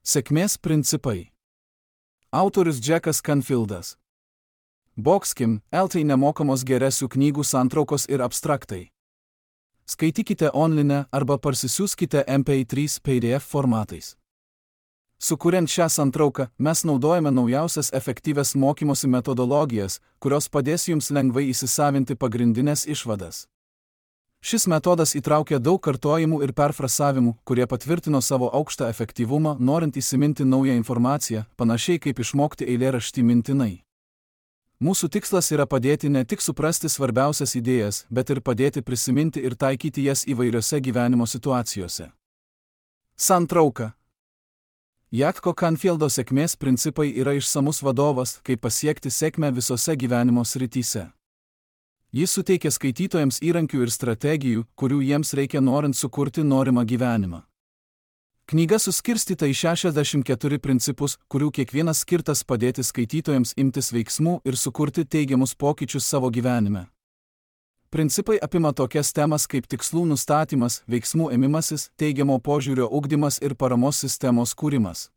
Sėkmės principai. Autorius Džekas Canfieldas. Boxkim, LT nemokamos geresių knygų santraukos ir abstraktai. Skaitykite online arba parsisiųskite MP3 PDF formatais. Sukuriant šią santrauką, mes naudojame naujausias efektyvias mokymosi metodologijas, kurios padės jums lengvai įsisavinti pagrindinės išvadas. Šis metodas įtraukia daug kartojimų ir perfrasavimų, kurie patvirtino savo aukštą efektyvumą, norint įsiminti naują informaciją, panašiai kaip išmokti eilėraštį mintinai. Mūsų tikslas yra padėti ne tik suprasti svarbiausias idėjas, bet ir padėti prisiminti ir taikyti jas įvairiose gyvenimo situacijose. Santrauka. Jacko Canfieldo sėkmės principai yra išsamus vadovas, kaip pasiekti sėkmę visose gyvenimo srityse. Jis suteikia skaitytojams įrankių ir strategijų, kurių jiems reikia norint sukurti norimą gyvenimą. Knyga suskirstyta į 64 principus, kurių kiekvienas skirtas padėti skaitytojams imtis veiksmų ir sukurti teigiamus pokyčius savo gyvenime. Principai apima tokias temas kaip tikslų nustatymas, veiksmų ėmimasis, teigiamo požiūrio ugdymas ir paramos sistemos kūrimas.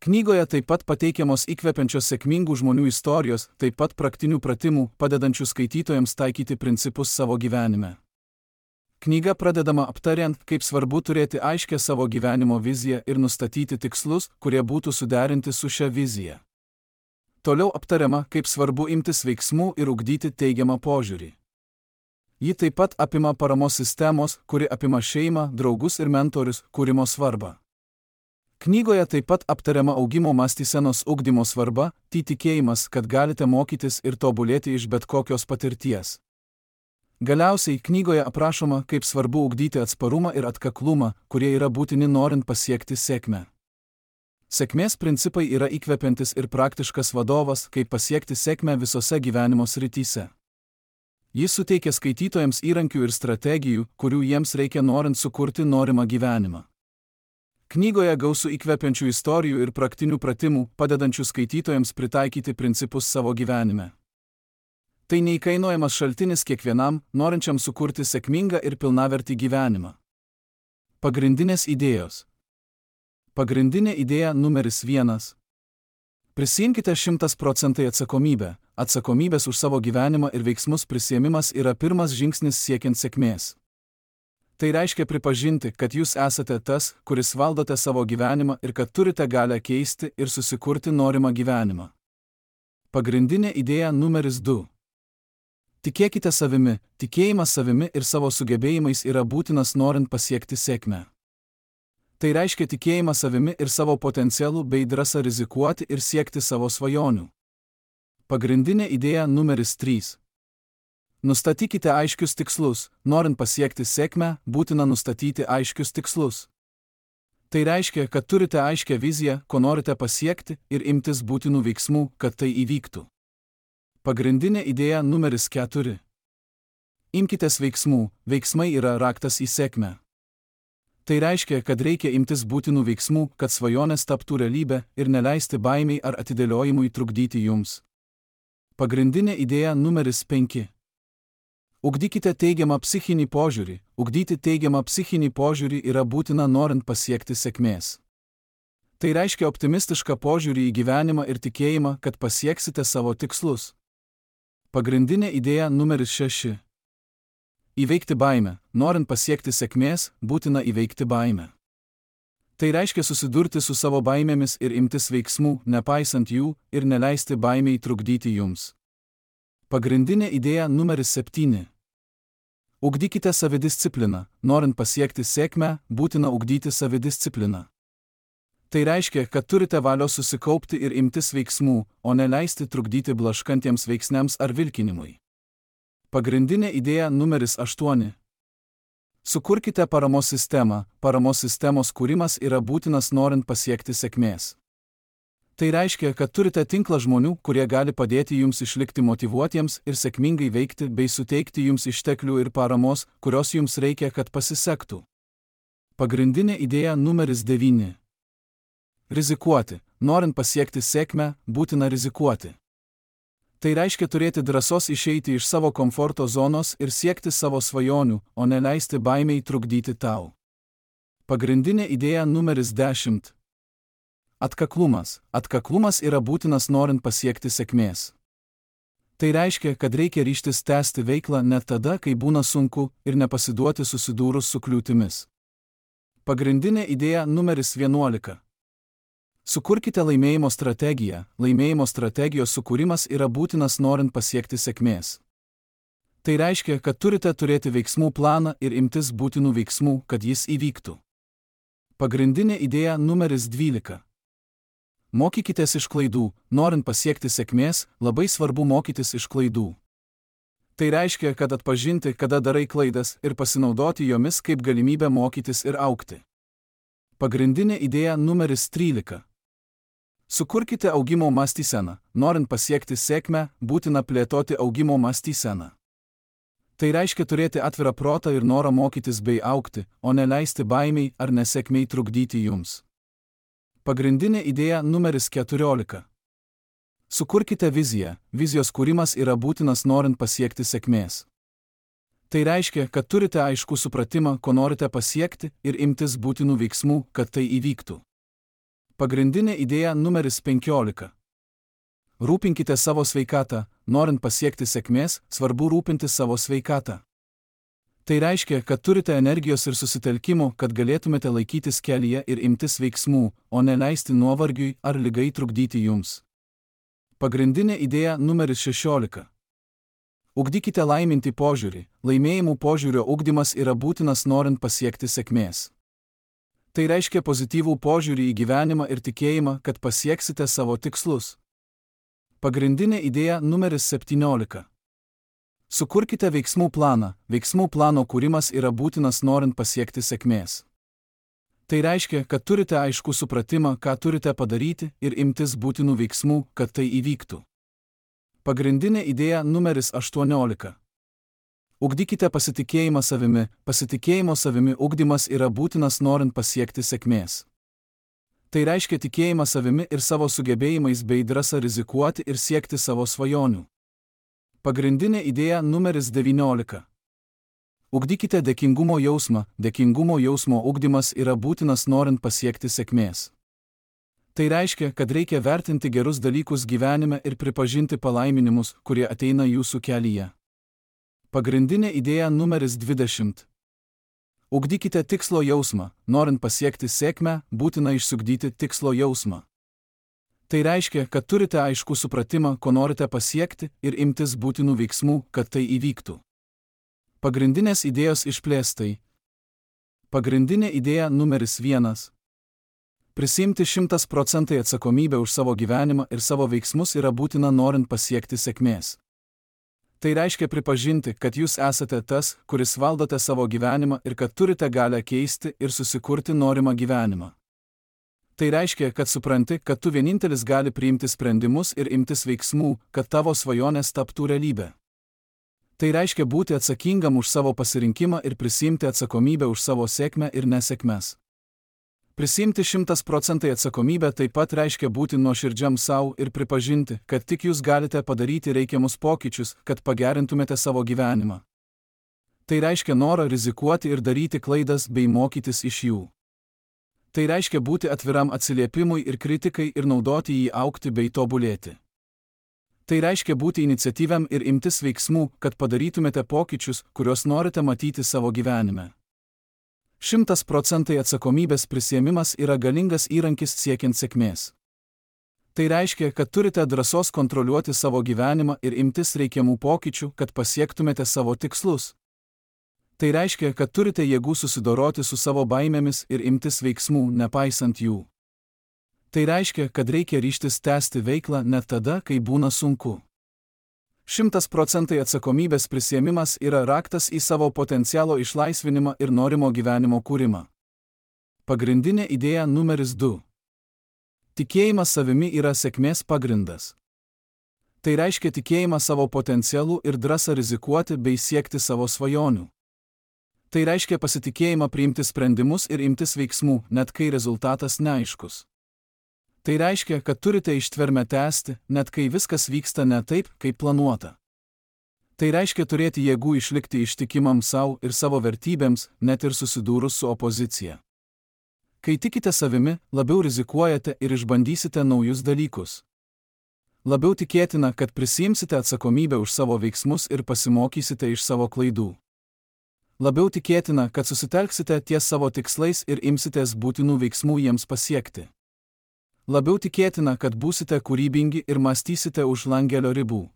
Knygoje taip pat pateikiamos įkvepiančios sėkmingų žmonių istorijos, taip pat praktinių pratimų, padedančių skaitytojams taikyti principus savo gyvenime. Knyga pradedama aptariant, kaip svarbu turėti aiškę savo gyvenimo viziją ir nustatyti tikslus, kurie būtų suderinti su šia vizija. Toliau aptariama, kaip svarbu imtis veiksmų ir ugdyti teigiamą požiūrį. Ji taip pat apima paramos sistemos, kuri apima šeimą, draugus ir mentorius, kūrimo svarbą. Knygoje taip pat aptariama augimo mąstysenos ugdymo svarba, tikėjimas, kad galite mokytis ir tobulėti iš bet kokios patirties. Galiausiai knygoje aprašoma, kaip svarbu ugdyti atsparumą ir atkaklumą, kurie yra būtini norint pasiekti sėkmę. Sėkmės principai yra įkvepiantis ir praktiškas vadovas, kaip pasiekti sėkmę visose gyvenimo srityse. Jis suteikia skaitytojams įrankių ir strategijų, kurių jiems reikia norint sukurti norimą gyvenimą. Knygoje gausu įkvepiančių istorijų ir praktinių pratimų, padedančių skaitytojams pritaikyti principus savo gyvenime. Tai neįkainojamas šaltinis kiekvienam, norinčiam sukurti sėkmingą ir pilnavertį gyvenimą. Pagrindinės idėjos. Pagrindinė idėja numeris 1. Prisiimkite 100% atsakomybę. Atsakomybės už savo gyvenimą ir veiksmus prisiėmimas yra pirmas žingsnis siekiant sėkmės. Tai reiškia pripažinti, kad jūs esate tas, kuris valdote savo gyvenimą ir kad turite galią keisti ir susikurti norimą gyvenimą. Pagrindinė idėja numeris 2. Tikėkite savimi. Tikėjimas savimi ir savo sugebėjimais yra būtinas norint pasiekti sėkmę. Tai reiškia tikėjimą savimi ir savo potencialų bei drąsą rizikuoti ir siekti savo svajonių. Pagrindinė idėja numeris 3. Nustatykite aiškius tikslus. Norint pasiekti sėkmę, būtina nustatyti aiškius tikslus. Tai reiškia, kad turite aiškią viziją, ko norite pasiekti ir imtis būtinų veiksmų, kad tai įvyktų. Pagrindinė idėja numeris 4. Imkitės veiksmų. Veiksmai yra raktas į sėkmę. Tai reiškia, kad reikia imtis būtinų veiksmų, kad svajonės taptų realybė ir neleisti baimei ar atidėliojimui trukdyti jums. Pagrindinė idėja numeris 5. Ugdykite teigiamą psichinį požiūrį. Ugdyti teigiamą psichinį požiūrį yra būtina norint pasiekti sėkmės. Tai reiškia optimistišką požiūrį į gyvenimą ir tikėjimą, kad pasieksite savo tikslus. Pagrindinė idėja numeris 6. Įveikti baimę. Norint pasiekti sėkmės, būtina įveikti baimę. Tai reiškia susidurti su savo baimėmis ir imtis veiksmų, nepaisant jų, ir neleisti baimei trukdyti jums. Pagrindinė idėja numeris 7. Ugdykite savidiscipliną. Norint pasiekti sėkmę, būtina ugdyti savidiscipliną. Tai reiškia, kad turite valios susikaupti ir imtis veiksmų, o neleisti trukdyti blaškantiems veiksniams ar vilkinimui. Pagrindinė idėja numeris 8. Sukurkite paramos sistemą. Paramos sistemos kūrimas yra būtinas norint pasiekti sėkmės. Tai reiškia, kad turite tinklą žmonių, kurie gali padėti jums išlikti motyvuotiems ir sėkmingai veikti bei suteikti jums išteklių ir paramos, kurios jums reikia, kad pasisektų. Pagrindinė idėja numeris 9. Rizikuoti. Norint pasiekti sėkmę, būtina rizikuoti. Tai reiškia turėti drąsos išeiti iš savo komforto zonos ir siekti savo svajonių, o neleisti baimei trukdyti tau. Pagrindinė idėja numeris 10. Atkaklumas. Atkaklumas yra būtinas norint pasiekti sėkmės. Tai reiškia, kad reikia ryžtis tęsti veiklą net tada, kai būna sunku ir nepasiduoti susidūrus su kliūtimis. Pagrindinė idėja numeris 11. Sukurkite laimėjimo strategiją. Laimėjimo strategijos sukūrimas yra būtinas norint pasiekti sėkmės. Tai reiškia, kad turite turėti veiksmų planą ir imtis būtinų veiksmų, kad jis įvyktų. Pagrindinė idėja numeris 12. Mokykitės iš klaidų. Norint pasiekti sėkmės, labai svarbu mokytis iš klaidų. Tai reiškia, kad atpažinti, kada darai klaidas ir pasinaudoti jomis kaip galimybę mokytis ir augti. Pagrindinė idėja numeris 13. Sukurkite augimo mąstyseną. Norint pasiekti sėkmę, būtina plėtoti augimo mąstyseną. Tai reiškia turėti atvirą protą ir norą mokytis bei augti, o ne leisti baimiai ar nesėkmei trukdyti jums. Pagrindinė idėja numeris 14. Sukurkite viziją. Vizijos kūrimas yra būtinas norint pasiekti sėkmės. Tai reiškia, kad turite aiškų supratimą, ko norite pasiekti ir imtis būtinų veiksmų, kad tai įvyktų. Pagrindinė idėja numeris 15. Rūpinkite savo sveikatą. Norint pasiekti sėkmės, svarbu rūpinti savo sveikatą. Tai reiškia, kad turite energijos ir susitelkimo, kad galėtumėte laikytis kelyje ir imtis veiksmų, o ne leisti nuovargiui ar ligai trukdyti jums. Pagrindinė idėja numeris 16. Ugdykite laimintį požiūrį. Laimėjimų požiūrio ugdymas yra būtinas norint pasiekti sėkmės. Tai reiškia pozityvų požiūrį į gyvenimą ir tikėjimą, kad pasieksite savo tikslus. Pagrindinė idėja numeris 17. Sukurkite veiksmų planą. Veiksmų plano kūrimas yra būtinas norint pasiekti sėkmės. Tai reiškia, kad turite aiškų supratimą, ką turite padaryti ir imtis būtinų veiksmų, kad tai įvyktų. Pagrindinė idėja numeris 18. Ugdykite pasitikėjimą savimi. Pasitikėjimo savimi ugdymas yra būtinas norint pasiekti sėkmės. Tai reiškia tikėjimą savimi ir savo sugebėjimais bei drąsą rizikuoti ir siekti savo svajonių. Pagrindinė idėja numeris 19. Ugdykite dėkingumo jausmą. Dėkingumo jausmo ugdymas yra būtinas norint pasiekti sėkmės. Tai reiškia, kad reikia vertinti gerus dalykus gyvenime ir pripažinti palaiminimus, kurie ateina jūsų kelyje. Pagrindinė idėja numeris 20. Ugdykite tikslo jausmą. Norint pasiekti sėkmę, būtina išsiugdyti tikslo jausmą. Tai reiškia, kad turite aiškų supratimą, ko norite pasiekti ir imtis būtinų veiksmų, kad tai įvyktų. Pagrindinės idėjos išplėstai. Pagrindinė idėja numeris 1. Prisiimti 100% atsakomybę už savo gyvenimą ir savo veiksmus yra būtina norint pasiekti sėkmės. Tai reiškia pripažinti, kad jūs esate tas, kuris valdote savo gyvenimą ir kad turite galią keisti ir susikurti norimą gyvenimą. Tai reiškia, kad supranti, kad tu vienintelis gali priimti sprendimus ir imtis veiksmų, kad tavo svajonės taptų realybė. Tai reiškia būti atsakingam už savo pasirinkimą ir prisiimti atsakomybę už savo sėkmę ir nesėkmes. Prisiimti 100% atsakomybę taip pat reiškia būti nuoširdžiam savo ir pripažinti, kad tik jūs galite padaryti reikiamus pokyčius, kad pagerintumėte savo gyvenimą. Tai reiškia norą rizikuoti ir daryti klaidas bei mokytis iš jų. Tai reiškia būti atviram atsiliepimui ir kritikai ir naudoti jį augti bei tobulėti. Tai reiškia būti iniciatyviam ir imtis veiksmų, kad padarytumėte pokyčius, kuriuos norite matyti savo gyvenime. 100% atsakomybės prisiėmimas yra galingas įrankis siekiant sėkmės. Tai reiškia, kad turite drąsos kontroliuoti savo gyvenimą ir imtis reikiamų pokyčių, kad pasiektumėte savo tikslus. Tai reiškia, kad turite jėgų susidoroti su savo baimėmis ir imtis veiksmų, nepaisant jų. Tai reiškia, kad reikia ryžtis tęsti veiklą net tada, kai būna sunku. 100% atsakomybės prisiėmimas yra raktas į savo potencialo išlaisvinimą ir norimo gyvenimo kūrimą. Pagrindinė idėja numeris 2. Tikėjimas savimi yra sėkmės pagrindas. Tai reiškia tikėjimą savo potencialu ir drąsą rizikuoti bei siekti savo svajonių. Tai reiškia pasitikėjimą priimti sprendimus ir imtis veiksmų, net kai rezultatas neaiškus. Tai reiškia, kad turite ištvermę tęsti, net kai viskas vyksta ne taip, kaip planuota. Tai reiškia turėti jėgų išlikti ištikimam savo ir savo vertybėms, net ir susidūrus su opozicija. Kai tikite savimi, labiau rizikuojate ir išbandysite naujus dalykus. Labiau tikėtina, kad prisiimsite atsakomybę už savo veiksmus ir pasimokysite iš savo klaidų. Labiau tikėtina, kad susitelksite ties savo tikslais ir imsitės būtinų veiksmų jiems pasiekti. Labiau tikėtina, kad būsite kūrybingi ir mąstysite už langelio ribų.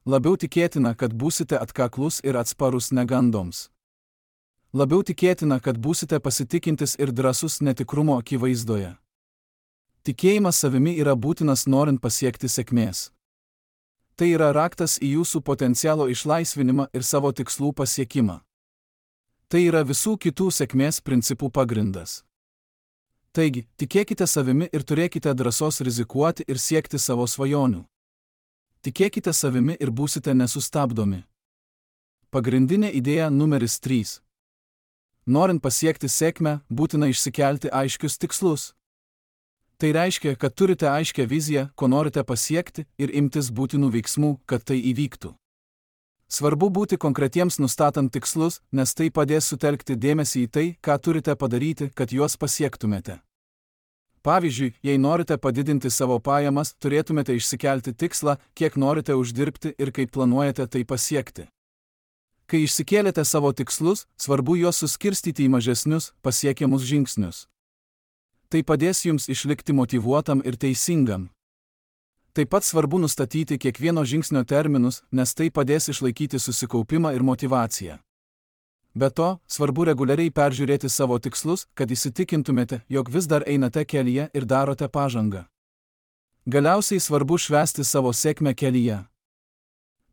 Labiau tikėtina, kad būsite atkaklus ir atsparus negandoms. Labiau tikėtina, kad būsite pasitikintis ir drąsus netikrumo akivaizdoje. Tikėjimas savimi yra būtinas norint pasiekti sėkmės. Tai yra raktas į jūsų potencialo išlaisvinimą ir savo tikslų pasiekimą. Tai yra visų kitų sėkmės principų pagrindas. Taigi, tikėkite savimi ir turėkite drąsos rizikuoti ir siekti savo svajonių. Tikėkite savimi ir būsite nesustabdomi. Pagrindinė idėja numeris 3. Norint pasiekti sėkmę, būtina išsikelti aiškius tikslus. Tai reiškia, kad turite aiškią viziją, ko norite pasiekti ir imtis būtinų veiksmų, kad tai įvyktų. Svarbu būti konkretiems nustatant tikslus, nes tai padės sutelkti dėmesį į tai, ką turite padaryti, kad juos pasiektumėte. Pavyzdžiui, jei norite padidinti savo pajamas, turėtumėte išsikelti tikslą, kiek norite uždirbti ir kaip planuojate tai pasiekti. Kai išsikėlėte savo tikslus, svarbu juos suskirstyti į mažesnius, pasiekiamus žingsnius. Tai padės jums išlikti motyvuotam ir teisingam. Taip pat svarbu nustatyti kiekvieno žingsnio terminus, nes tai padės išlaikyti susikaupimą ir motyvaciją. Be to, svarbu reguliariai peržiūrėti savo tikslus, kad įsitikintumėte, jog vis dar einate kelyje ir darote pažangą. Galiausiai svarbu švęsti savo sėkmę kelyje.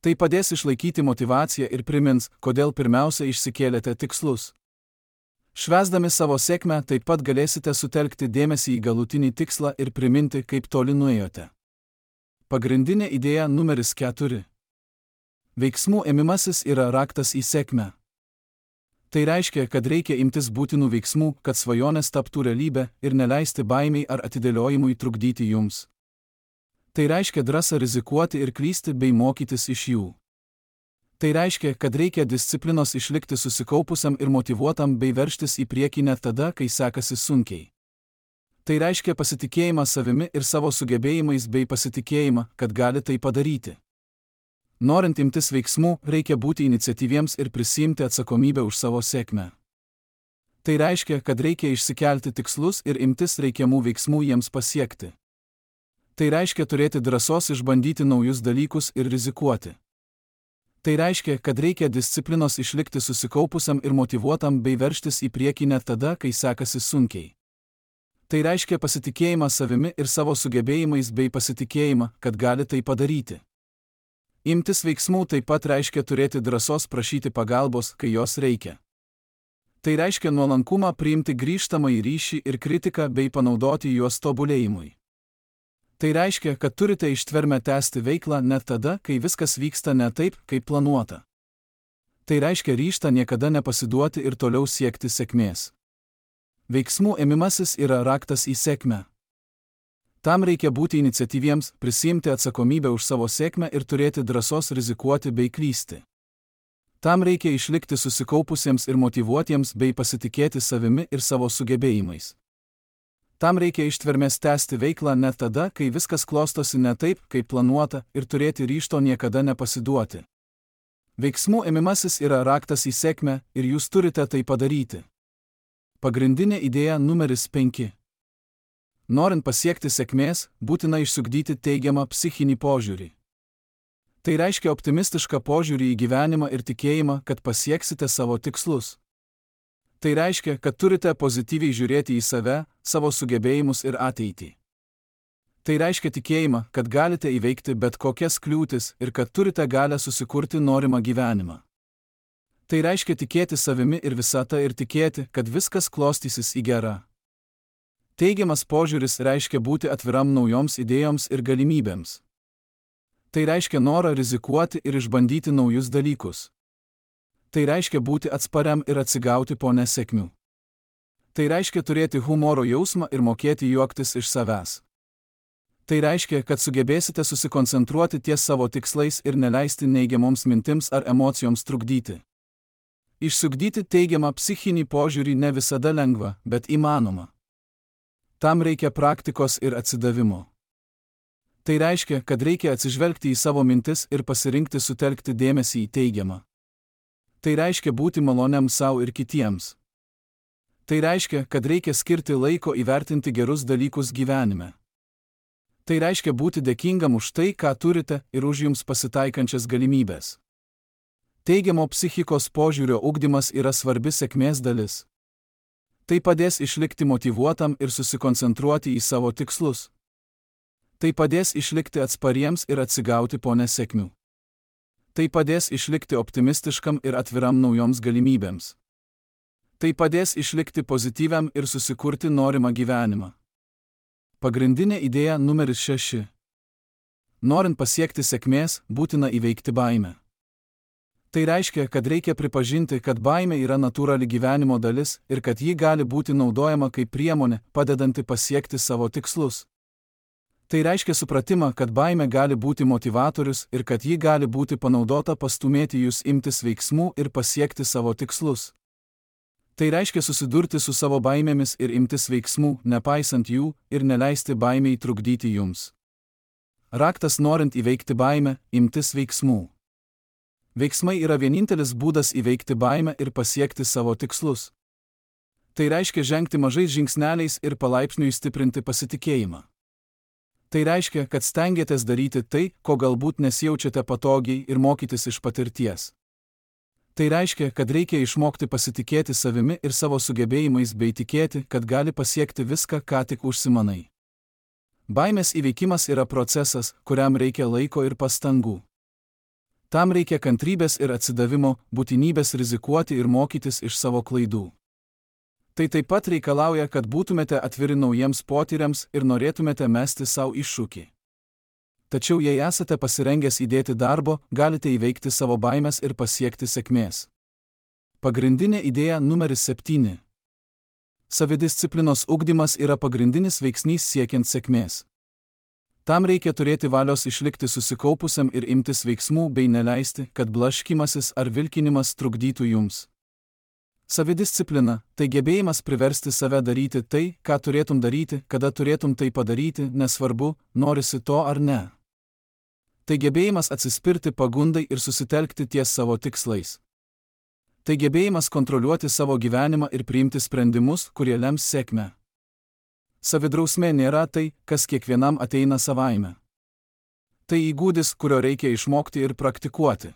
Tai padės išlaikyti motyvaciją ir primins, kodėl pirmiausia išsikėlėte tikslus. Švęsdami savo sėkmę taip pat galėsite sutelkti dėmesį į galutinį tikslą ir priminti, kaip toli nuėjote. Pagrindinė idėja numeris 4. Veiksmų ėmimasis yra raktas į sėkmę. Tai reiškia, kad reikia imtis būtinų veiksmų, kad svajonės taptų realybė ir neleisti baimei ar atidėliojimui trukdyti jums. Tai reiškia drąsą rizikuoti ir klysti bei mokytis iš jų. Tai reiškia, kad reikia disciplinos išlikti susikaupusiam ir motyvuotam bei veržtis į priekį net tada, kai sekasi sunkiai. Tai reiškia pasitikėjimą savimi ir savo sugebėjimais bei pasitikėjimą, kad gali tai padaryti. Norint imtis veiksmų, reikia būti iniciatyviems ir prisiimti atsakomybę už savo sėkmę. Tai reiškia, kad reikia išsikelti tikslus ir imtis reikiamų veiksmų jiems pasiekti. Tai reiškia turėti drąsos išbandyti naujus dalykus ir rizikuoti. Tai reiškia, kad reikia disciplinos išlikti susikaupusiam ir motyvuotam bei veržtis į priekį net tada, kai sekasi sunkiai. Tai reiškia pasitikėjimą savimi ir savo sugebėjimais bei pasitikėjimą, kad gali tai padaryti. Imtis veiksmų taip pat reiškia turėti drąsos prašyti pagalbos, kai jos reikia. Tai reiškia nuolankumą priimti grįžtamąjį ryšį ir kritiką bei panaudoti juos tobulėjimui. Tai reiškia, kad turite ištvermę tęsti veiklą net tada, kai viskas vyksta ne taip, kaip planuota. Tai reiškia ryžtą niekada nepasiduoti ir toliau siekti sėkmės. Veiksmų ėmimasis yra raktas į sėkmę. Tam reikia būti iniciatyviems, prisiimti atsakomybę už savo sėkmę ir turėti drąsos rizikuoti bei klysti. Tam reikia išlikti susikaupusiems ir motyvuotiems bei pasitikėti savimi ir savo sugebėjimais. Tam reikia ištvermės tęsti veiklą net tada, kai viskas klostosi ne taip, kaip planuota, ir turėti ryžto niekada nepasiduoti. Veiksmų ėmimasis yra raktas į sėkmę ir jūs turite tai padaryti. Pagrindinė idėja numeris 5. Norint pasiekti sėkmės, būtina išsiugdyti teigiamą psichinį požiūrį. Tai reiškia optimistišką požiūrį į gyvenimą ir tikėjimą, kad pasieksite savo tikslus. Tai reiškia, kad turite pozityviai žiūrėti į save, savo sugebėjimus ir ateitį. Tai reiškia tikėjimą, kad galite įveikti bet kokias kliūtis ir kad turite galę susikurti norimą gyvenimą. Tai reiškia tikėti savimi ir visata ir tikėti, kad viskas klostysis į gerą. Teigiamas požiūris reiškia būti atviram naujoms idėjoms ir galimybėms. Tai reiškia norą rizikuoti ir išbandyti naujus dalykus. Tai reiškia būti atspariam ir atsigauti po nesėkmių. Tai reiškia turėti humoro jausmą ir mokėti juoktis iš savęs. Tai reiškia, kad sugebėsite susikoncentruoti ties savo tikslais ir neleisti neigiamoms mintims ar emocijoms trukdyti. Išsiugdyti teigiamą psichinį požiūrį ne visada lengva, bet įmanoma. Tam reikia praktikos ir atsidavimo. Tai reiškia, kad reikia atsižvelgti į savo mintis ir pasirinkti sutelkti dėmesį į teigiamą. Tai reiškia būti maloniam sau ir kitiems. Tai reiškia, kad reikia skirti laiko įvertinti gerus dalykus gyvenime. Tai reiškia būti dėkingam už tai, ką turite ir už jums pasitaikančias galimybės. Teigiamo psichikos požiūrio ugdymas yra svarbi sėkmės dalis. Tai padės išlikti motyvuotam ir susikoncentruoti į savo tikslus. Tai padės išlikti atspariems ir atsigauti po nesėkmių. Tai padės išlikti optimistiškam ir atviram naujoms galimybėms. Tai padės išlikti pozityviam ir susikurti norimą gyvenimą. Pagrindinė idėja numeris 6. Norint pasiekti sėkmės, būtina įveikti baimę. Tai reiškia, kad reikia pripažinti, kad baimė yra natūrali gyvenimo dalis ir kad ji gali būti naudojama kaip priemonė, padedanti pasiekti savo tikslus. Tai reiškia supratimą, kad baimė gali būti motyvatorius ir kad ji gali būti panaudota pastumėti jūs imtis veiksmų ir pasiekti savo tikslus. Tai reiškia susidurti su savo baimėmis ir imtis veiksmų, nepaisant jų, ir neleisti baimei trukdyti jums. Raktas norint įveikti baimę – imtis veiksmų. Veiksmai yra vienintelis būdas įveikti baimę ir pasiekti savo tikslus. Tai reiškia žengti mažais žingsneliais ir palaipsniui stiprinti pasitikėjimą. Tai reiškia, kad stengiatės daryti tai, ko galbūt nesijaučiate patogiai ir mokytis iš patirties. Tai reiškia, kad reikia išmokti pasitikėti savimi ir savo sugebėjimais bei tikėti, kad gali pasiekti viską, ką tik užsimanai. Baimės įveikimas yra procesas, kuriam reikia laiko ir pastangų. Tam reikia kantrybės ir atsidavimo, būtinybės rizikuoti ir mokytis iš savo klaidų. Tai taip pat reikalauja, kad būtumėte atviri naujiems potyriams ir norėtumėte mesti savo iššūkį. Tačiau jei esate pasirengęs įdėti darbo, galite įveikti savo baimės ir pasiekti sėkmės. Pagrindinė idėja numeris 7. Savidisciplinos ugdymas yra pagrindinis veiksnys siekiant sėkmės. Tam reikia turėti valios išlikti susikaupusiam ir imtis veiksmų bei neleisti, kad blaškymasis ar vilkinimas trukdytų jums. Savidisciplina – tai gebėjimas priversti save daryti tai, ką turėtum daryti, kada turėtum tai padaryti, nesvarbu, norisi to ar ne. Tai gebėjimas atsispirti pagundai ir susitelkti ties savo tikslais. Tai gebėjimas kontroliuoti savo gyvenimą ir priimti sprendimus, kurie lems sėkmę. Savidrausmė nėra tai, kas kiekvienam ateina savaime. Tai įgūdis, kurio reikia išmokti ir praktikuoti.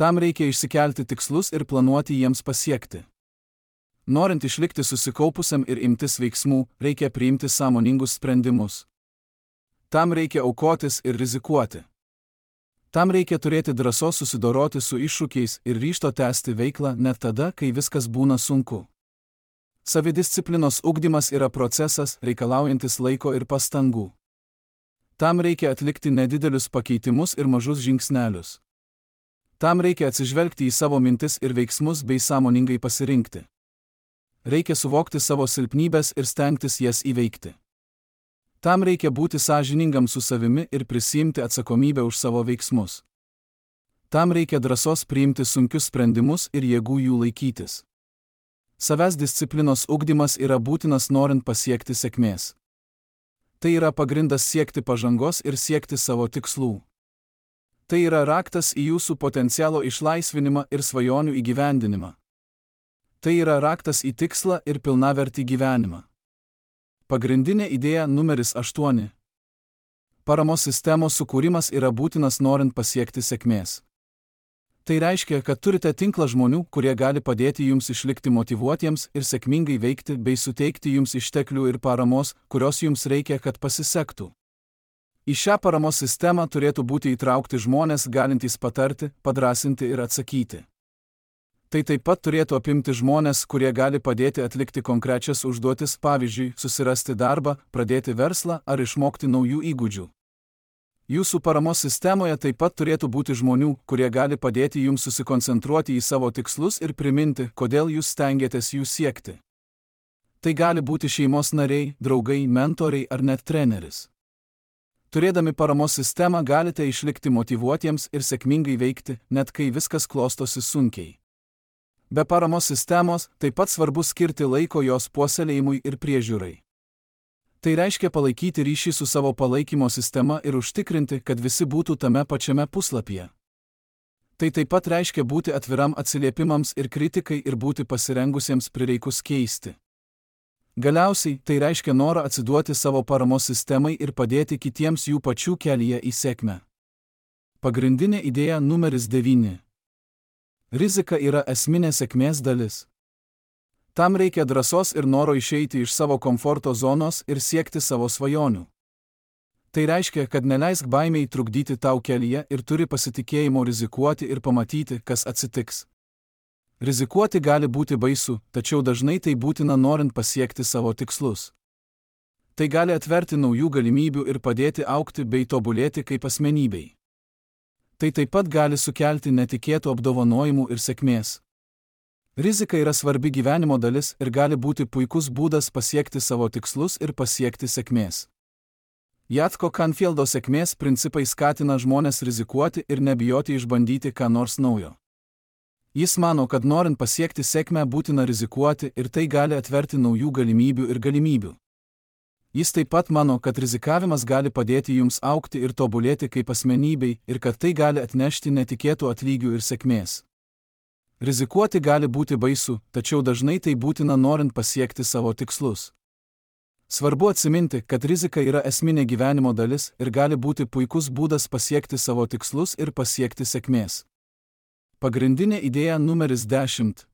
Tam reikia išsikelti tikslus ir planuoti jiems pasiekti. Norint išlikti susikaupusiam ir imtis veiksmų, reikia priimti sąmoningus sprendimus. Tam reikia aukotis ir rizikuoti. Tam reikia turėti drąsos susidoroti su iššūkiais ir ryžto tęsti veiklą net tada, kai viskas būna sunku. Savidisciplinos ugdymas yra procesas, reikalaujantis laiko ir pastangų. Tam reikia atlikti nedidelius pakeitimus ir mažus žingsnelius. Tam reikia atsižvelgti į savo mintis ir veiksmus bei sąmoningai pasirinkti. Reikia suvokti savo silpnybes ir stengtis jas įveikti. Tam reikia būti sąžiningam su savimi ir prisiimti atsakomybę už savo veiksmus. Tam reikia drąsos priimti sunkius sprendimus ir jėgų jų laikytis. Savęs disciplinos ugdymas yra būtinas norint pasiekti sėkmės. Tai yra pagrindas siekti pažangos ir siekti savo tikslų. Tai yra raktas į jūsų potencialo išlaisvinimą ir svajonių įgyvendinimą. Tai yra raktas į tikslą ir pilnavertį gyvenimą. Pagrindinė idėja numeris 8. Paramos sistemos sukūrimas yra būtinas norint pasiekti sėkmės. Tai reiškia, kad turite tinklą žmonių, kurie gali padėti jums išlikti motyvuotiems ir sėkmingai veikti bei suteikti jums išteklių ir paramos, kurios jums reikia, kad pasisektų. Į šią paramos sistemą turėtų būti įtraukti žmonės galintys patarti, padrąsinti ir atsakyti. Tai taip pat turėtų apimti žmonės, kurie gali padėti atlikti konkrečias užduotis, pavyzdžiui, susirasti darbą, pradėti verslą ar išmokti naujų įgūdžių. Jūsų paramos sistemoje taip pat turėtų būti žmonių, kurie gali padėti jums susikoncentruoti į savo tikslus ir priminti, kodėl jūs stengiatės jų siekti. Tai gali būti šeimos nariai, draugai, mentoriai ar net treneris. Turėdami paramos sistemą galite išlikti motyvuotiems ir sėkmingai veikti, net kai viskas klostosi sunkiai. Be paramos sistemos taip pat svarbu skirti laiko jos puoselėjimui ir priežiūrai. Tai reiškia palaikyti ryšį su savo palaikymo sistema ir užtikrinti, kad visi būtų tame pačiame puslapyje. Tai taip pat reiškia būti atviram atsiliepimams ir kritikai ir būti pasirengusiems prireikus keisti. Galiausiai, tai reiškia norą atsiduoti savo paramos sistemai ir padėti kitiems jų pačių kelyje į sėkmę. Pagrindinė idėja numeris 9. Rizika yra esminė sėkmės dalis. Tam reikia drąsos ir noro išeiti iš savo komforto zonos ir siekti savo svajonių. Tai reiškia, kad neleisk baimei trukdyti tau kelyje ir turi pasitikėjimo rizikuoti ir pamatyti, kas atsitiks. Rizikuoti gali būti baisu, tačiau dažnai tai būtina norint pasiekti savo tikslus. Tai gali atverti naujų galimybių ir padėti augti bei tobulėti kaip asmenybei. Tai taip pat gali sukelti netikėtų apdovanojimų ir sėkmės. Rizika yra svarbi gyvenimo dalis ir gali būti puikus būdas pasiekti savo tikslus ir pasiekti sėkmės. Jatko Canfieldo sėkmės principai skatina žmones rizikuoti ir nebijoti išbandyti ką nors naujo. Jis mano, kad norint pasiekti sėkmę būtina rizikuoti ir tai gali atverti naujų galimybių ir galimybių. Jis taip pat mano, kad rizikavimas gali padėti jums augti ir tobulėti kaip asmenybei ir kad tai gali atnešti netikėtų atlygių ir sėkmės. Rizikuoti gali būti baisu, tačiau dažnai tai būtina norint pasiekti savo tikslus. Svarbu atsiminti, kad rizika yra esminė gyvenimo dalis ir gali būti puikus būdas pasiekti savo tikslus ir pasiekti sėkmės. Pagrindinė idėja numeris 10.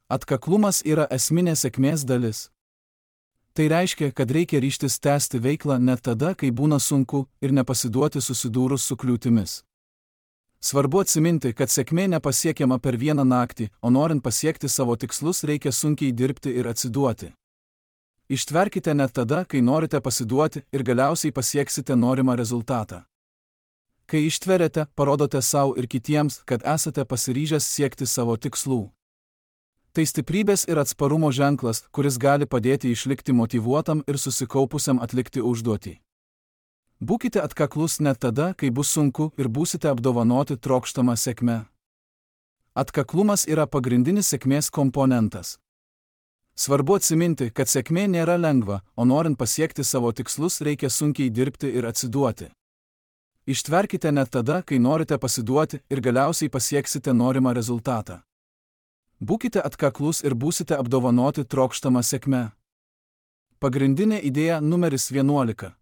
Atkaklumas yra esminė sėkmės dalis. Tai reiškia, kad reikia ryžtis tęsti veiklą net tada, kai būna sunku ir nepasiduoti susidūrus su kliūtimis. Svarbu atsiminti, kad sėkmė nepasiekiama per vieną naktį, o norint pasiekti savo tikslus reikia sunkiai dirbti ir atsiduoti. Ištverkite net tada, kai norite pasiduoti ir galiausiai pasieksite norimą rezultatą. Kai ištveriate, parodote savo ir kitiems, kad esate pasiryžęs siekti savo tikslų. Tai stiprybės ir atsparumo ženklas, kuris gali padėti išlikti motyvuotam ir susikaupusiam atlikti užduotį. Būkite atkaklus net tada, kai bus sunku ir būsite apdovanoti trokštamą sėkmę. Atkaklumas yra pagrindinis sėkmės komponentas. Svarbu atsiminti, kad sėkmė nėra lengva, o norint pasiekti savo tikslus reikia sunkiai dirbti ir atsiduoti. Ištverkite net tada, kai norite pasiduoti ir galiausiai pasieksite norimą rezultatą. Būkite atkaklus ir būsite apdovanoti trokštamą sėkmę. Pagrindinė idėja numeris 11.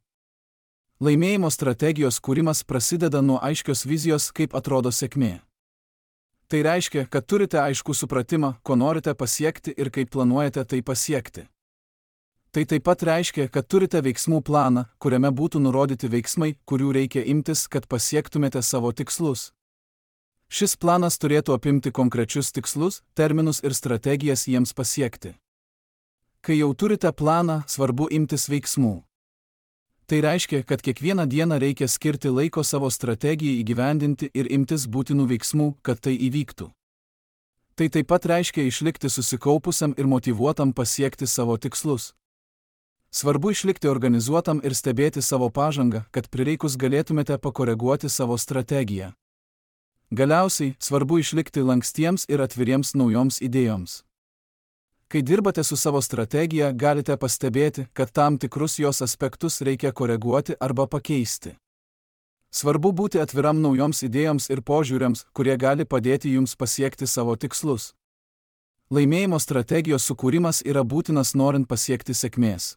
Laimėjimo strategijos kūrimas prasideda nuo aiškios vizijos, kaip atrodo sėkmė. Tai reiškia, kad turite aiškų supratimą, ko norite pasiekti ir kaip planuojate tai pasiekti. Tai taip pat reiškia, kad turite veiksmų planą, kuriame būtų nurodyti veiksmai, kurių reikia imtis, kad pasiektumėte savo tikslus. Šis planas turėtų apimti konkrečius tikslus, terminus ir strategijas jiems pasiekti. Kai jau turite planą, svarbu imtis veiksmų. Tai reiškia, kad kiekvieną dieną reikia skirti laiko savo strategijai įgyvendinti ir imtis būtinų veiksmų, kad tai įvyktų. Tai taip pat reiškia išlikti susikaupusiam ir motyvuotam pasiekti savo tikslus. Svarbu išlikti organizuotam ir stebėti savo pažangą, kad prireikus galėtumėte pakoreguoti savo strategiją. Galiausiai, svarbu išlikti lankstiems ir atviriems naujoms idėjoms. Kai dirbate su savo strategija, galite pastebėti, kad tam tikrus jos aspektus reikia koreguoti arba pakeisti. Svarbu būti atviram naujoms idėjoms ir požiūriams, kurie gali padėti jums pasiekti savo tikslus. Laimėjimo strategijos sukūrimas yra būtinas norint pasiekti sėkmės.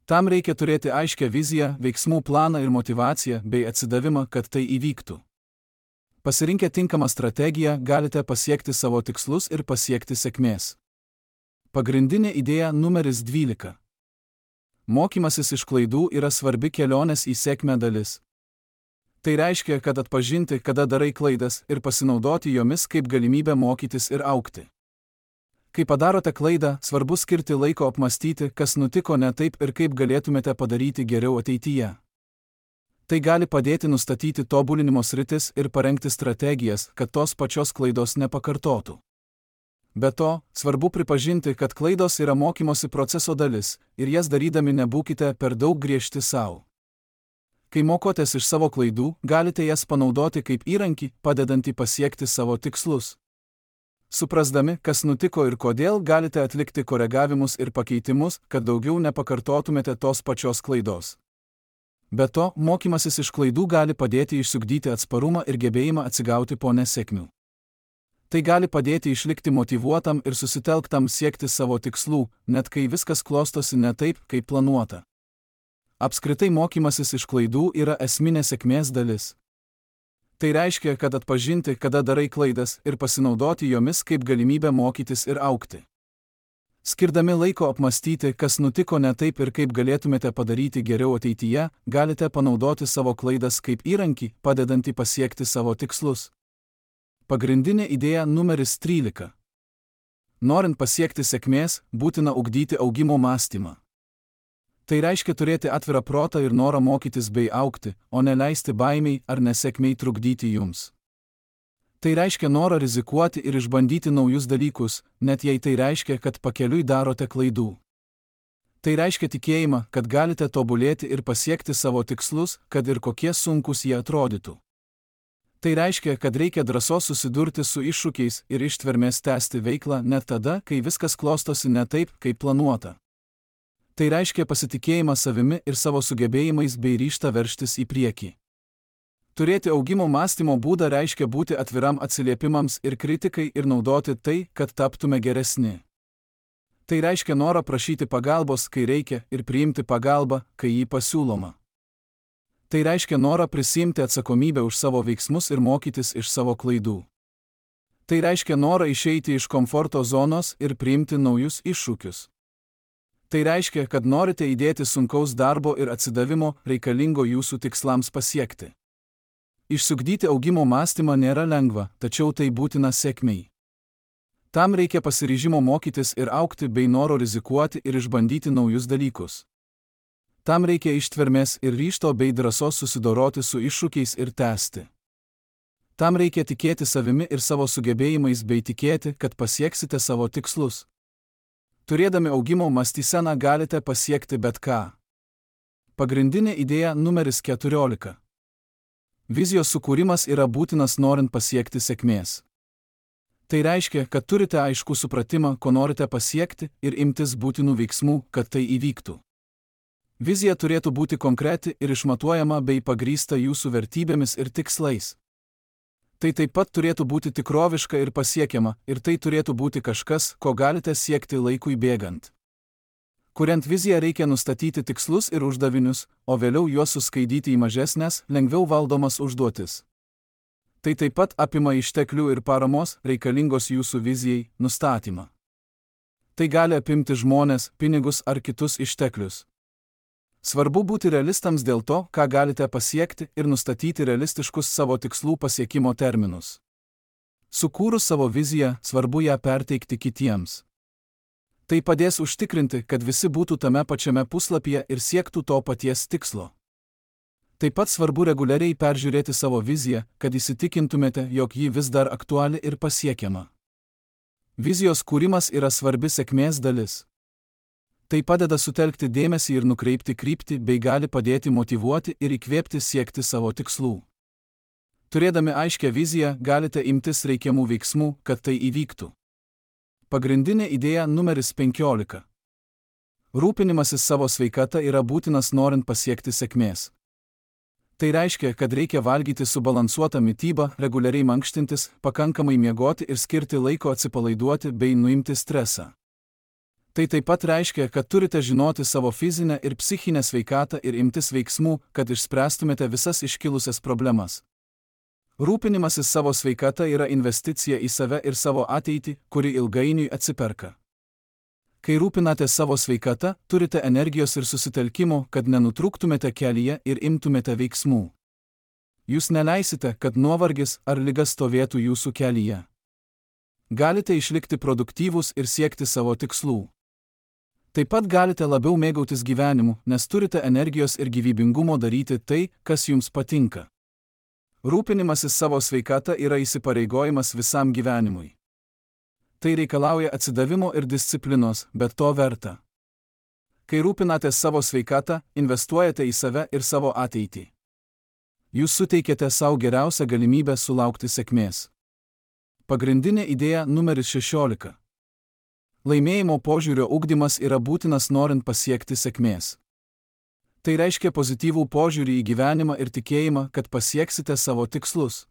Tam reikia turėti aiškią viziją, veiksmų planą ir motyvaciją bei atsidavimą, kad tai įvyktų. Pasirinkę tinkamą strategiją, galite pasiekti savo tikslus ir pasiekti sėkmės. Pagrindinė idėja numeris 12. Mokymasis iš klaidų yra svarbi kelionės į sėkmę dalis. Tai reiškia, kad atpažinti, kada darai klaidas ir pasinaudoti jomis kaip galimybę mokytis ir augti. Kai padarote klaidą, svarbu skirti laiko apmastyti, kas nutiko ne taip ir kaip galėtumėte padaryti geriau ateityje. Tai gali padėti nustatyti tobulinimo sritis ir parengti strategijas, kad tos pačios klaidos nepakartotų. Be to, svarbu pripažinti, kad klaidos yra mokymosi proceso dalis ir jas darydami nebūkite per daug griežti sau. Kai mokotės iš savo klaidų, galite jas panaudoti kaip įrankį, padedantį pasiekti savo tikslus. Suprasdami, kas nutiko ir kodėl, galite atlikti koregavimus ir pakeitimus, kad daugiau nepakartotumėte tos pačios klaidos. Be to, mokymasis iš klaidų gali padėti išsiugdyti atsparumą ir gebėjimą atsigauti po nesėkmių. Tai gali padėti išlikti motyvuotam ir susitelktam siekti savo tikslų, net kai viskas klostosi ne taip, kaip planuota. Apskritai mokymasis iš klaidų yra esminė sėkmės dalis. Tai reiškia, kad atpažinti, kada darai klaidas ir pasinaudoti jomis kaip galimybę mokytis ir augti. Skirdami laiko apmastyti, kas nutiko ne taip ir kaip galėtumėte padaryti geriau ateityje, galite panaudoti savo klaidas kaip įrankį, padedantį pasiekti savo tikslus. Pagrindinė idėja numeris 13. Norint pasiekti sėkmės, būtina ugdyti augimo mąstymą. Tai reiškia turėti atvirą protą ir norą mokytis bei augti, o ne leisti baimiai ar nesėkmiai trukdyti jums. Tai reiškia norą rizikuoti ir išbandyti naujus dalykus, net jei tai reiškia, kad pakeliui darote klaidų. Tai reiškia tikėjimą, kad galite tobulėti ir pasiekti savo tikslus, kad ir kokie sunkus jie atrodytų. Tai reiškia, kad reikia drąsos susidurti su iššūkiais ir ištvermės tęsti veiklą net tada, kai viskas klostosi ne taip, kaip planuota. Tai reiškia pasitikėjimą savimi ir savo sugebėjimais bei ryžtą veržtis į priekį. Turėti augimo mąstymo būdą reiškia būti atviram atsiliepimams ir kritikai ir naudoti tai, kad taptume geresni. Tai reiškia norą prašyti pagalbos, kai reikia, ir priimti pagalbą, kai jį pasiūloma. Tai reiškia norą prisiimti atsakomybę už savo veiksmus ir mokytis iš savo klaidų. Tai reiškia norą išeiti iš komforto zonos ir priimti naujus iššūkius. Tai reiškia, kad norite įdėti sunkaus darbo ir atsidavimo reikalingo jūsų tikslams pasiekti. Išsiugdyti augimo mąstymą nėra lengva, tačiau tai būtina sėkmei. Tam reikia pasiryžimo mokytis ir augti bei noro rizikuoti ir išbandyti naujus dalykus. Tam reikia ištvermės ir ryžto bei drąsos susidoroti su iššūkiais ir tęsti. Tam reikia tikėti savimi ir savo sugebėjimais bei tikėti, kad pasieksite savo tikslus. Turėdami augimo mąstyseną galite pasiekti bet ką. Pagrindinė idėja numeris 14. Vizijos sukūrimas yra būtinas norint pasiekti sėkmės. Tai reiškia, kad turite aiškų supratimą, ko norite pasiekti ir imtis būtinų veiksmų, kad tai įvyktų. Vizija turėtų būti konkreti ir išmatuojama bei pagrįsta jūsų vertybėmis ir tikslais. Tai taip pat turėtų būti tikroviška ir pasiekiama, ir tai turėtų būti kažkas, ko galite siekti laikui bėgant. Kuriant viziją reikia nustatyti tikslus ir uždavinius, o vėliau juos suskaidyti į mažesnes, lengviau valdomas užduotis. Tai taip pat apima išteklių ir paramos, reikalingos jūsų vizijai, nustatymą. Tai gali apimti žmones, pinigus ar kitus išteklius. Svarbu būti realistams dėl to, ką galite pasiekti ir nustatyti realistiškus savo tikslų pasiekimo terminus. Sukūrus savo viziją, svarbu ją perteikti kitiems. Tai padės užtikrinti, kad visi būtų tame pačiame puslapyje ir siektų to paties tikslo. Taip pat svarbu reguliariai peržiūrėti savo viziją, kad įsitikintumėte, jog ji vis dar aktuali ir pasiekiama. Vizijos kūrimas yra svarbi sėkmės dalis. Tai padeda sutelkti dėmesį ir nukreipti kryptį bei gali padėti motyvuoti ir įkvėpti siekti savo tikslų. Turėdami aiškią viziją, galite imtis reikiamų veiksmų, kad tai įvyktų. Pagrindinė idėja numeris 15. Rūpinimasis savo sveikata yra būtinas norint pasiekti sėkmės. Tai reiškia, kad reikia valgyti subalansuotą mitybą, reguliariai mankštintis, pakankamai miegoti ir skirti laiko atsipalaiduoti bei nuimti stresą. Tai taip pat reiškia, kad turite žinoti savo fizinę ir psichinę sveikatą ir imtis veiksmų, kad išspręstumėte visas iškilusias problemas. Rūpinimasis savo sveikata yra investicija į save ir savo ateitį, kuri ilgainiui atsiperka. Kai rūpinate savo sveikata, turite energijos ir susitelkimo, kad nenutrūktumėte kelyje ir imtumėte veiksmų. Jūs neleisite, kad nuovargis ar liga stovėtų jūsų kelyje. Galite išlikti produktyvūs ir siekti savo tikslų. Taip pat galite labiau mėgautis gyvenimu, nes turite energijos ir gyvybingumo daryti tai, kas jums patinka. Rūpinimasis savo sveikata yra įsipareigojimas visam gyvenimui. Tai reikalauja atsidavimo ir disciplinos, bet to verta. Kai rūpinatės savo sveikatą, investuojate į save ir savo ateitį. Jūs suteikėte savo geriausią galimybę sulaukti sėkmės. Pagrindinė idėja numeris 16. Laimėjimo požiūrio ugdymas yra būtinas norint pasiekti sėkmės. Tai reiškia pozityvų požiūrį į gyvenimą ir tikėjimą, kad pasieksite savo tikslus.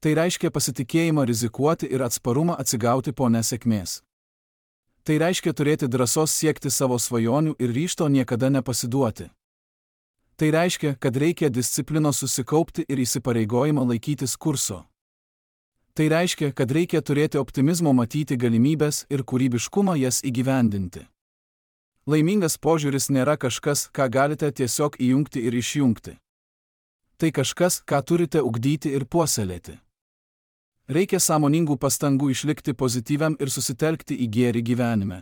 Tai reiškia pasitikėjimą rizikuoti ir atsparumą atsigauti po nesėkmės. Tai reiškia turėti drąsos siekti savo svajonių ir ryžto niekada nepasiduoti. Tai reiškia, kad reikia disciplinos susikaupti ir įsipareigojimą laikytis kurso. Tai reiškia, kad reikia turėti optimizmo matyti galimybės ir kūrybiškumą jas įgyvendinti. Laimingas požiūris nėra kažkas, ką galite tiesiog įjungti ir išjungti. Tai kažkas, ką turite ugdyti ir puoselėti. Reikia sąmoningų pastangų išlikti pozityviam ir susitelkti į gėrį gyvenime.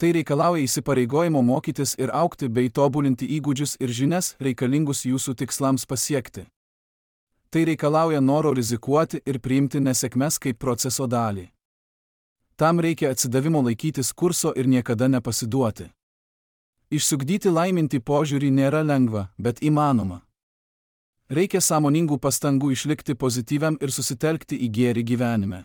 Tai reikalauja įsipareigojimo mokytis ir augti bei tobulinti įgūdžius ir žinias reikalingus jūsų tikslams pasiekti. Tai reikalauja noro rizikuoti ir priimti nesėkmes kaip proceso dalį. Tam reikia atsidavimo laikytis kurso ir niekada nepasiduoti. Išsiugdyti laimintį požiūrį nėra lengva, bet įmanoma. Reikia sąmoningų pastangų išlikti pozityviam ir susitelkti į gėrį gyvenime.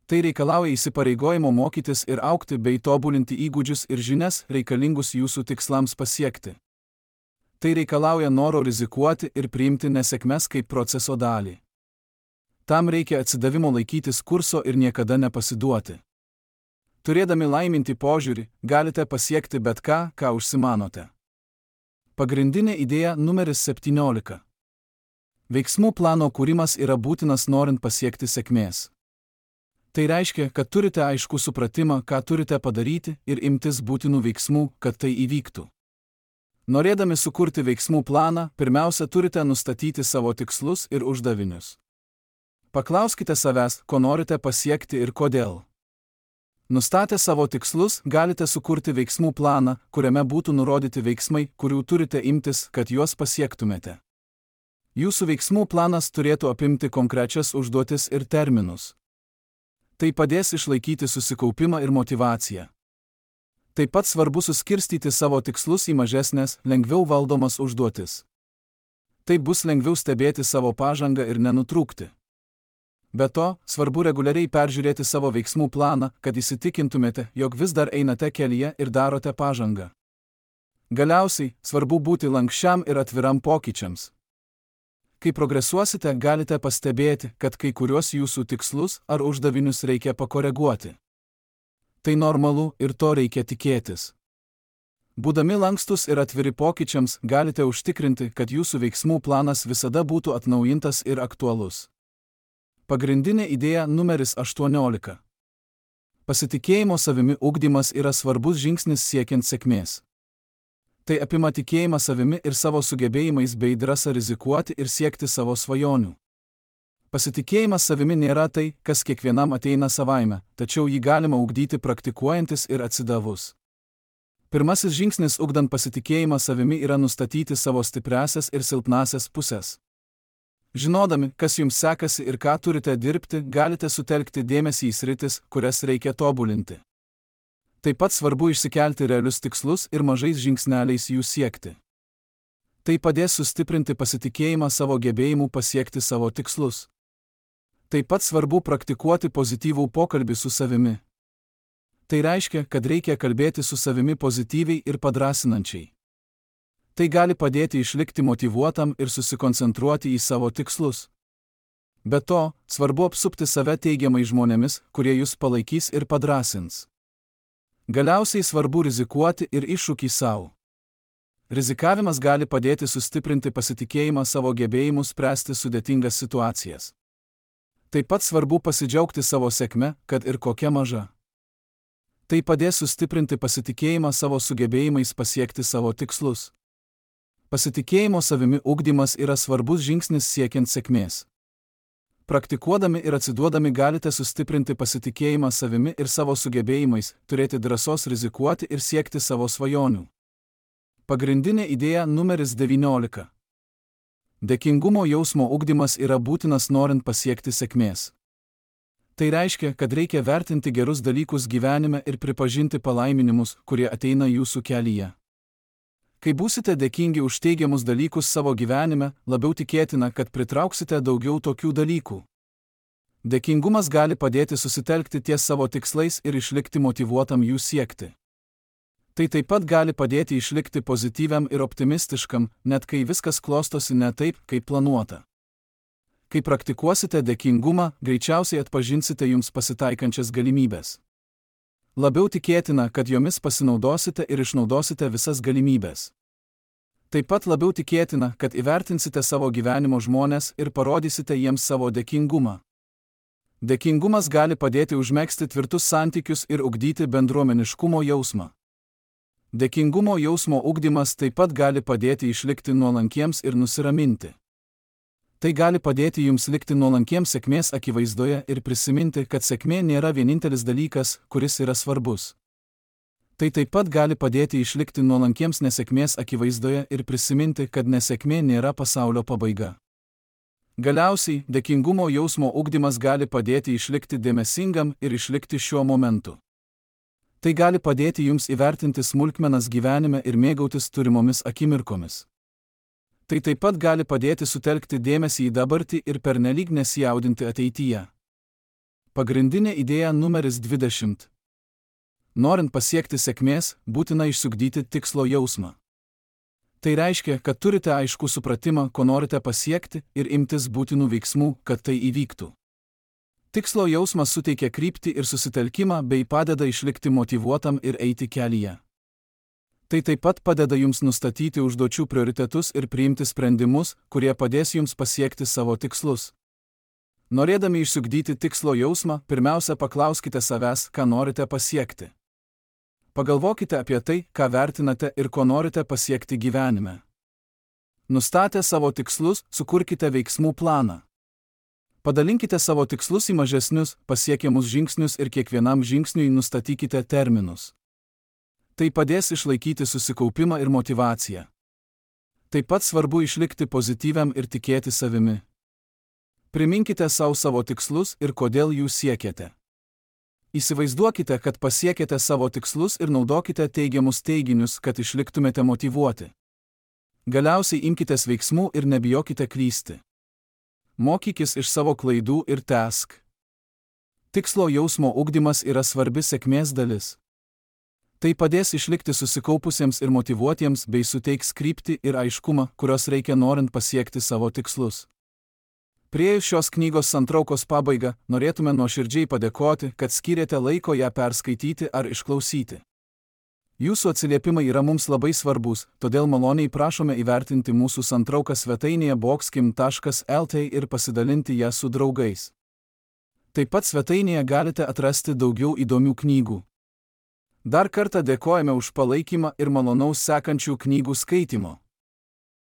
Tai reikalauja įsipareigojimo mokytis ir augti bei tobulinti įgūdžius ir žinias reikalingus jūsų tikslams pasiekti. Tai reikalauja noro rizikuoti ir priimti nesėkmes kaip proceso dalį. Tam reikia atsidavimo laikytis kurso ir niekada nepasiduoti. Turėdami laimintį požiūrį, galite pasiekti bet ką, ką užsimanote. Pagrindinė idėja numeris 17. Veiksmų plano kūrimas yra būtinas norint pasiekti sėkmės. Tai reiškia, kad turite aiškų supratimą, ką turite padaryti ir imtis būtinų veiksmų, kad tai įvyktų. Norėdami sukurti veiksmų planą, pirmiausia turite nustatyti savo tikslus ir uždavinius. Paklauskite savęs, ko norite pasiekti ir kodėl. Nustatę savo tikslus, galite sukurti veiksmų planą, kuriame būtų nurodyti veiksmai, kurių turite imtis, kad juos pasiektumėte. Jūsų veiksmų planas turėtų apimti konkrečias užduotis ir terminus. Tai padės išlaikyti susikaupimą ir motyvaciją. Taip pat svarbu suskirstyti savo tikslus į mažesnės, lengviau valdomas užduotis. Taip bus lengviau stebėti savo pažangą ir nenutrūkti. Be to, svarbu reguliariai peržiūrėti savo veiksmų planą, kad įsitikintumėte, jog vis dar einate kelyje ir darote pažangą. Galiausiai, svarbu būti lankščiam ir atviram pokyčiams. Kai progresuosite, galite pastebėti, kad kai kuriuos jūsų tikslus ar uždavinius reikia pakoreguoti. Tai normalu ir to reikia tikėtis. Būdami lankstus ir atviri pokyčiams, galite užtikrinti, kad jūsų veiksmų planas visada būtų atnaujintas ir aktualus. Pagrindinė idėja numeris 18. Pasitikėjimo savimi ugdymas yra svarbus žingsnis siekiant sėkmės. Tai apima tikėjimą savimi ir savo sugebėjimais bei drąsą rizikuoti ir siekti savo svajonių. Pasitikėjimas savimi nėra tai, kas kiekvienam ateina savaime, tačiau jį galima ugdyti praktikuojantis ir atsidavus. Pirmasis žingsnis ugdant pasitikėjimą savimi yra nustatyti savo stipriąsias ir silpnąsias pusės. Žinodami, kas jums sekasi ir ką turite dirbti, galite sutelkti dėmesį į sritis, kurias reikia tobulinti. Taip pat svarbu išsikelti realius tikslus ir mažais žingsneliais jų siekti. Tai padės sustiprinti pasitikėjimą savo gebėjimu pasiekti savo tikslus. Taip pat svarbu praktikuoti pozityvų pokalbį su savimi. Tai reiškia, kad reikia kalbėti su savimi pozityviai ir padrasinančiai. Tai gali padėti išlikti motyvuotam ir susikoncentruoti į savo tikslus. Be to, svarbu apsupti save teigiamai žmonėmis, kurie jūs palaikys ir padrasins. Galiausiai svarbu rizikuoti ir iššūkį savo. Rizikavimas gali padėti sustiprinti pasitikėjimą savo gebėjimu spręsti sudėtingas situacijas. Taip pat svarbu pasidžiaugti savo sėkme, kad ir kokia maža. Tai padės sustiprinti pasitikėjimą savo sugebėjimais pasiekti savo tikslus. Pasitikėjimo savimi ugdymas yra svarbus žingsnis siekiant sėkmės. Praktikuodami ir atsiduodami galite sustiprinti pasitikėjimą savimi ir savo sugebėjimais, turėti drąsos rizikuoti ir siekti savo svajonių. Pagrindinė idėja numeris 19. Dėkingumo jausmo ugdymas yra būtinas norint pasiekti sėkmės. Tai reiškia, kad reikia vertinti gerus dalykus gyvenime ir pripažinti palaiminimus, kurie ateina jūsų kelyje. Kai būsite dėkingi už teigiamus dalykus savo gyvenime, labiau tikėtina, kad pritrauksite daugiau tokių dalykų. Dėkingumas gali padėti susitelkti ties savo tikslais ir išlikti motyvuotam jų siekti. Tai taip pat gali padėti išlikti pozityviam ir optimistiškam, net kai viskas klostosi ne taip, kaip planuota. Kai praktikuosite dėkingumą, greičiausiai atpažinsite jums pasitaikančias galimybės. Labiau tikėtina, kad jomis pasinaudosite ir išnaudosite visas galimybės. Taip pat labiau tikėtina, kad įvertinsite savo gyvenimo žmones ir parodysite jiems savo dėkingumą. Dėkingumas gali padėti užmegzti tvirtus santykius ir ugdyti bendruomeniškumo jausmą. Dėkingumo jausmo ugdymas taip pat gali padėti išlikti nuolankiems ir nusiraminti. Tai gali padėti jums likti nuolankiems sėkmės akivaizdoje ir prisiminti, kad sėkmė nėra vienintelis dalykas, kuris yra svarbus. Tai taip pat gali padėti išlikti nuolankiems nesėkmės akivaizdoje ir prisiminti, kad nesėkmė nėra pasaulio pabaiga. Galiausiai, dėkingumo jausmo ugdymas gali padėti išlikti dėmesingam ir išlikti šiuo momentu. Tai gali padėti jums įvertinti smulkmenas gyvenime ir mėgautis turimomis akimirkomis. Tai taip pat gali padėti sutelkti dėmesį į dabartį ir pernelyg nesijaudinti ateityje. Pagrindinė idėja numeris 20. Norint pasiekti sėkmės, būtina išsiugdyti tikslo jausmą. Tai reiškia, kad turite aiškų supratimą, ko norite pasiekti ir imtis būtinų veiksmų, kad tai įvyktų. Tikslo jausmas suteikia kryptį ir susitelkimą bei padeda išlikti motyvuotam ir eiti kelyje. Tai taip pat padeda jums nustatyti užduočių prioritetus ir priimti sprendimus, kurie padės jums pasiekti savo tikslus. Norėdami išsiugdyti tikslo jausmą, pirmiausia paklauskite savęs, ką norite pasiekti. Pagalvokite apie tai, ką vertinate ir ko norite pasiekti gyvenime. Nustatę savo tikslus, sukurkite veiksmų planą. Padalinkite savo tikslus į mažesnius, pasiekiamus žingsnius ir kiekvienam žingsniui nustatykite terminus. Tai padės išlaikyti susikaupimą ir motyvaciją. Taip pat svarbu išlikti pozityviam ir tikėti savimi. Priminkite savo tikslus ir kodėl jų siekiate. Įsivaizduokite, kad pasiekėte savo tikslus ir naudokite teigiamus teiginius, kad išliktumėte motyvuoti. Galiausiai imkitės veiksmų ir nebijokite klysti. Mokykis iš savo klaidų ir tęsk. Tikslo jausmo ugdymas yra svarbi sėkmės dalis. Tai padės išlikti susikaupusiems ir motyvuotiems bei suteiks kryptį ir aiškumą, kurios reikia norint pasiekti savo tikslus. Priėjus šios knygos santraukos pabaigą, norėtume nuoširdžiai padėkoti, kad skyrėte laiko ją perskaityti ar išklausyti. Jūsų atsiliepimai yra mums labai svarbus, todėl maloniai prašome įvertinti mūsų santrauką svetainėje boxkim.lt ir pasidalinti ją su draugais. Taip pat svetainėje galite atrasti daugiau įdomių knygų. Dar kartą dėkojame už palaikymą ir malonaus sekančių knygų skaitimo.